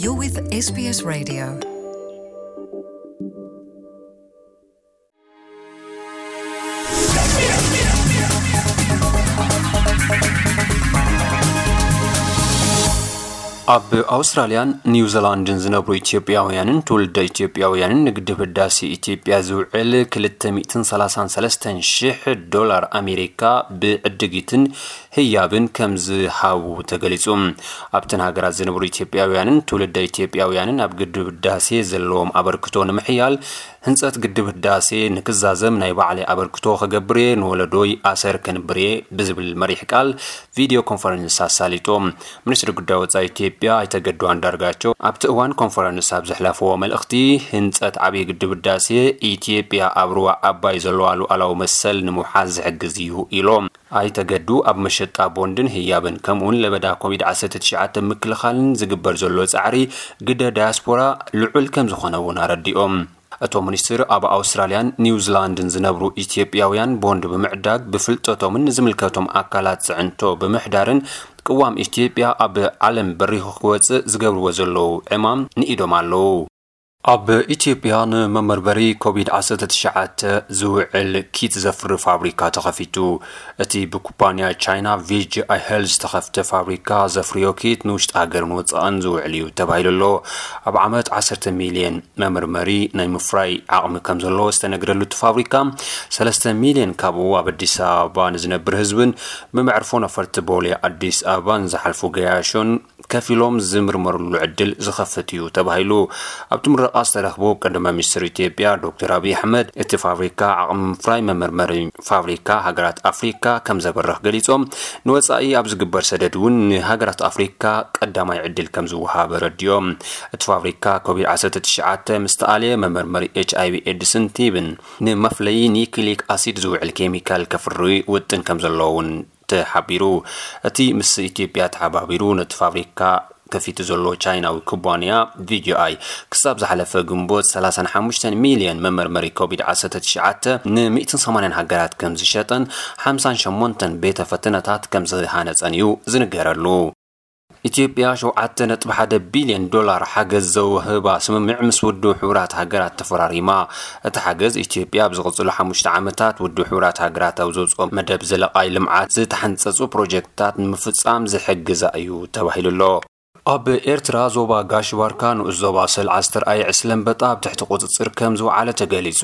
You're with S B S Radio. ኣብ ኣውስትራልያን ኒውዚላንድን ዝነብሩ ኢትዮጵያውያንን ትውልደ ኢትዮጵያውያንን ንግድብ ህዳሴ ኢትዮጵያ ዝውዕል ክልተ ሚእትን ሰላሳን ሰለስተን ሽሕ ዶላር ኣሜሪካ ብዕድጊትን ህያብን ከም ዝሃቡ ተገሊጹ። ኣብተን ሃገራት ዝነብሩ ኢትዮጵያውያንን ትውልደ ኢትዮጵያውያንን ኣብ ግድብ ህዳሴ ዘለዎም ኣበርክቶ ንምሕያል፣ ህንጸት ግድብ ህዳሴ ንክዛዘም ናይ ባዕለይ ኣበርክቶ ክገብር እየ፣ ንወለዶይ ኣሰር ከንብር እየ ብዝብል መሪሕ ቃል ቪድዮ ኮንፈረንስ ኣሳሊጦም። ሚኒስትሪ ጉዳይ ወጻኢ ኢትዮጵያ ኣይተ ገዱ ኣንዳርጋቸው ኣብቲ እዋን ኮንፈረንስ ኣብ ዘሕለፍዎ መልእኽቲ፣ ህንጸት ዓብዪ ግድብ ህዳሴ ኢትዮጵያ ኣብ ሩባ ኣባይ ዘለዋ ሉዓላዊ መሰል ንምውሓስ ዝሕግዝ እዩ ኢሎም። ኣይተ ገዱ ኣብ መሸጣ ቦንድን ህያብን ከምኡውን ለበዳ ኮቪድ ዓሰርተ ትሽዓተ ምክልኻልን ዝግበር ዘሎ ጻዕሪ ግደ ዳያስፖራ ልዑል ከም ዝኾነ እውን ኣረዲኦም። እቶም ሚኒስትር ኣብ ኣውስትራልያን ኒውዚላንድን ዝነብሩ ኢትዮጵያውያን ቦንድ ብምዕዳግ ብፍልጠቶምን ንዝምልከቶም ኣካላት ጽዕንቶ ብምሕዳርን ቅዋም ኢትዮጵያ ኣብ ዓለም በሪኹ ክወጽእ ዝገብርዎ ዘለዉ ዕማም ንኢዶም ኣለዉ። ኣብ ኢትዮጵያ ንመመርመሪ ኮቪድ ዓሰርተ ትሽዓተ ዝውዕል ኪት ዘፍሪ ፋብሪካ ተኸፊቱ። እቲ ብኩባንያ ቻይና ቪ ጂ ኣይ ሄልዝ ዝተኸፍተ ፋብሪካ ዘፍርዮ ኪት ንውሽጢ ሃገርን ወጻእን ዝውዕል እዩ ተባሂሉ ኣሎ። ኣብ ዓመት ዓሰርተ ሚልዮን መመርመሪ ናይ ምፍራይ ዓቕሚ ከም ዘለዎ ዝተነግረሉ እቲ ፋብሪካ፣ ሰለስተ ሚልዮን ካብኡ ኣብ ኣዲስ ኣበባ ንዝነብር ህዝብን ብመዕርፎ ነፈርቲ ቦሌ ኣዲስ ኣበባን ዝሓልፉ ገያሾን ከፊሎም ዝምርመርሉ ዕድል ዝኸፍት እዩ ተባሂሉ። ኣብቲ ምረቓ ዝተረኽቡ ቀዳማይ ሚኒስትር ኢትዮጵያ ዶክተር ኣብይ ኣሕመድ፣ እቲ ፋብሪካ ዓቕሚ ምፍራይ መመርመሪ ፋብሪካ ሃገራት ኣፍሪካ ከም ዘበርኽ ገሊጾም፣ ንወጻኢ ኣብ ዝግበር ሰደድ እውን ንሃገራት ኣፍሪካ ቀዳማይ ዕድል ከም ዝወሃብ ኣረዲኦም። እቲ ፋብሪካ ኮቪድ ዓሰርተ ትሽዓተ ምስ ተኣልየ መመርመሪ ኤች ኣይ ቪ ኤድስን ቲብን ንመፍለዪ ኒክሊክ ኣሲድ ዝውዕል ኬሚካል ከፍሪ ውጥን ከም ዘለዎ እውን ተሓቢሩ። እቲ ምስ ኢትዮጵያ ተሓባቢሩ ነቲ ፋብሪካ ከፊቱ ዘሎ ቻይናዊ ኩባንያ ቪ ጂ ኣይ፣ ክሳብ ዝሓለፈ ግንቦት ሰላሳን ሓሙሽተን ሚልዮን መመርመሪ ኮቪድ ዓሰርተ ትሽዓተ ን ሚእትን ሰማንያን ሃገራት ከም ዝሸጠን ሓምሳን ሸሞንተን ቤተ ፈተነታት ከም ዝሃነጸን እዩ ዝንገረሉ። ኢትዮጵያ ሸውዓተ ነጥቢ ሓደ ቢልዮን ዶላር ሓገዝ ዘውህባ ስምምዕ ምስ ውድብ ሕቡራት ሃገራት ተፈራሪማ። እቲ ሓገዝ፣ ኢትዮጵያ ኣብ ዝቕጽሉ ሓሙሽተ ዓመታት ውድብ ሕቡራት ሃገራት ኣብ ዘውጽኦ መደብ ዘለቓይ ልምዓት ዝተሓንጸጹ ፕሮጀክትታት ንምፍጻም ዝሕግዛ እዩ ተባሂሉ ኣሎ። ኣብ ኤርትራ ዞባ ጋሽ ባርካ ንኡስ ዞባ ሰልዓ ዝተርኣየ ዕስለ ኣንበጣ ኣብ ትሕቲ ቁጽጽር ከም ዝወዓለ ተገሊጹ።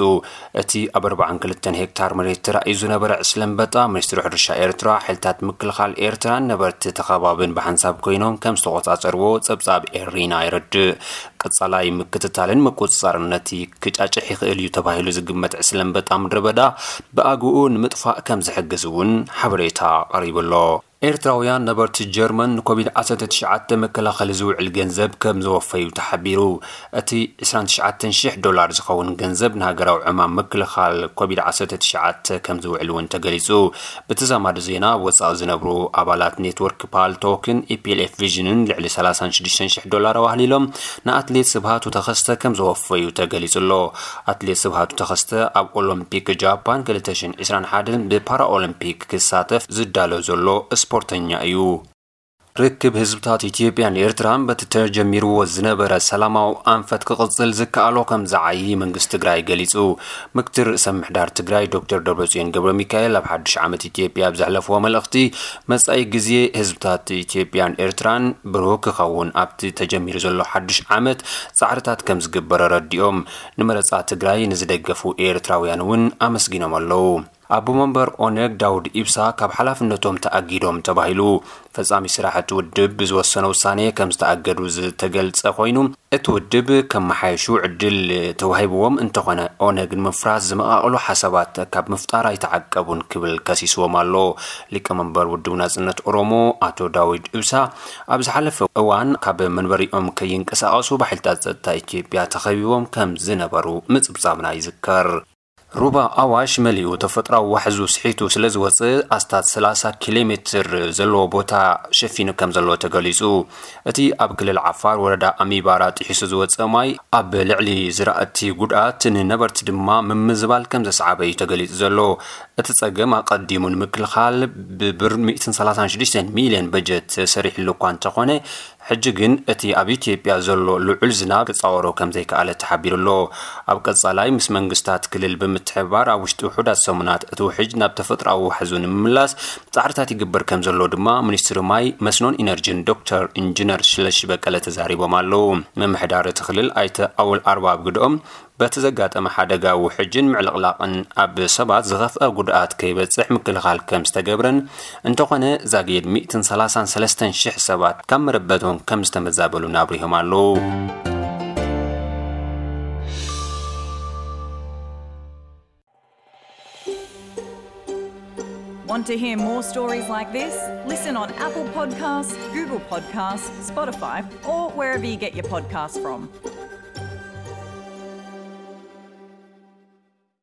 እቲ ኣብ ኣርባዓን ክልተን ሄክታር መሬት ተራእዩ ዝነበረ ዕስለ ኣንበጣ፣ ሚኒስትሪ ሕርሻ ኤርትራ፣ ሓይልታት ምክልኻል ኤርትራን ነበርቲ እቲ ከባብን ብሓንሳብ ኮይኖም ከም ዝተቖጻጸርዎ ጸብጻብ ኤሪና የረድእ። ቀጻላይ ምክትታልን ምቁጽጻርን ነቲ ክጫጭሕ ይኽእል እዩ ተባሂሉ ዝግመት ዕስለ ኣንበጣ ምድረ በዳ ብኣግኡ ንምጥፋእ ከም ዝሕግዝ እውን ሓበሬታ ቀሪቡ ኣሎ። ኤርትራውያን ነበርቲ ጀርመን ንኮቪድ ዓሰርተ ትሽዓተ መከላኸሊ ዝውዕል ገንዘብ ከም ዘወፈዩ ተሓቢሩ። እቲ ዕስራን ትሽዓተን ሽሕ ዶላር ዝኸውን ገንዘብ ንሃገራዊ ዕማም ምክልኻል ኮቪድ ዓሰርተ ትሽዓተ ከም ዝውዕል እውን ተገሊጹ። ብተዛማዲ ዜና፣ ኣብ ወጻኢ ዝነብሩ ኣባላት ኔትወርክ ፓልቶክን ኢ ፒ ኤል ኤፍ ቪዥንን ልዕሊ ሰላሳን ሽዱሽተን ሽሕ ዶላር ኣዋህሊሎም ንኣትሌት ስብሃቱ ተኸስተ ከም ዘወፈዩ ተገሊጹ ኣሎ። ኣትሌት ስብሃቱ ተኸስተ ኣብ ኦሎምፒክ ጃፓን ክልተ ሽሕን ዕስራን ሓደን ብፓራኦሎምፒክ ክሳተፍ ዝዳሎ ዘሎ ስፖርተኛ እዩ። ርክብ ህዝብታት ኢትዮጵያን ኤርትራን በቲ ተጀሚርዎ ዝነበረ ሰላማዊ ኣንፈት ክቕጽል ዝከኣሎ ከም ዝዓዪ መንግስቲ ትግራይ ገሊጹ። ምክትል ርእሰ ምምሕዳር ትግራይ ዶክተር ደብረጽዮን ገብረ ሚካኤል ኣብ ሓድሽ ዓመት ኢትዮጵያ ኣብ ዘሕለፍዎ መልእኽቲ፣ መጻኢ ግዜ ህዝብታት ኢትዮጵያን ኤርትራን ብሩህ ክኸውን ኣብቲ ተጀሚሩ ዘሎ ሓድሽ ዓመት ጻዕርታት ከም ዝግበር ኣረዲኦም። ንመረጻ ትግራይ ንዝደገፉ ኤርትራውያን እውን ኣመስጊኖም ኣለዉ። ኣቦ መንበር ኦነግ ዳውድ ኢብሳ ካብ ሓላፍነቶም ተኣጊዶም ተባሂሉ። ፈጻሚ ስራሕ እቲ ውድብ ብዝወሰነ ውሳኔ ከም ዝተኣገዱ ዝተገልጸ ኮይኑ፣ እቲ ውድብ ከመሓየሹ ዕድል ተዋሂብዎም እንተኾነ፣ ኦነግ ንምፍራስ ዝመቓቕሉ ሓሳባት ካብ ምፍጣር ኣይተዓቀቡን ክብል ከሲስዎም ኣሎ። ሊቀመንበር ውድብ ናጽነት ኦሮሞ ኣቶ ዳዊድ ኢብሳ ኣብ ዝሓለፈ እዋን ካብ መንበሪኦም ከይንቀሳቐሱ ብሓይልታት ጸጥታ ኢትዮጵያ ተኸቢቦም ከም ዝነበሩ ምጽብጻብና ይዝከር። ሩባ ኣዋሽ መሊኡ ተፈጥራዊ ዋሕዙ ስሒቱ ስለ ዝወፅእ ኣስታት ሰላሳ ኪሎ ሜትር ዘለዎ ቦታ ሸፊኑ ከም ዘሎ ተገሊፁ። እቲ ኣብ ክልል ዓፋር ወረዳ ኣሚባራ ጥሒሱ ዝወፀ ማይ ኣብ ልዕሊ ዝራእቲ ጉድኣት፣ ንነበርቲ ድማ ምምዝባል ከም ዘስዓበ እዩ ተገሊፁ ዘሎ። እቲ ፀገም ኣቐዲሙ ንምክልኻል ብብር ሚእትን ሰላሳን ሽዱሽተን ሚልዮን በጀት ተሰሪሕሉ እኳ እንተኾነ፣ ሕጂ ግን እቲ ኣብ ኢትዮጵያ ዘሎ ልዑል ዝናብ ክፃወሮ ከም ዘይከኣለ ተሓቢሩ ኣሎ። ኣብ ቀፃላይ ምስ መንግስታት ክልል ብምትሕብባር ኣብ ውሽጢ ውሑዳት ሰሙናት እቲ ውሕጅ ናብ ተፈጥሮኣዊ ዋሕዙ ንምምላስ ፃዕርታት ይግበር ከም ዘሎ ድማ ሚኒስትሪ ማይ፣ መስኖን ኢነርጂን ዶክተር ኢንጂነር ስለሺ በቀለ ተዛሪቦም ኣለዉ። ምምሕዳር እቲ ክልል ኣይተ ኣወል ኣርባ ኣብ ግድኦም፣ በቲ ዘጋጠመ ሓደጋ ውሕጅን ምዕልቕላቕን ኣብ ሰባት ዝኸፍአ ጉድኣት ከይበፅሕ ምክልኻል ከም ዝተገብረን፣ እንተኾነ ዛጊድ ሚእትን ሰላሳን ሰለስተን ሽሕ ሰባት ካብ መረበቶም ከም ዝተመዛበሉን ኣብሪሆም ኣለዉ። Want to hear more stories like this? Listen on Apple Podcasts, Google Podcasts, Spotify, or wherever you get your podcasts from.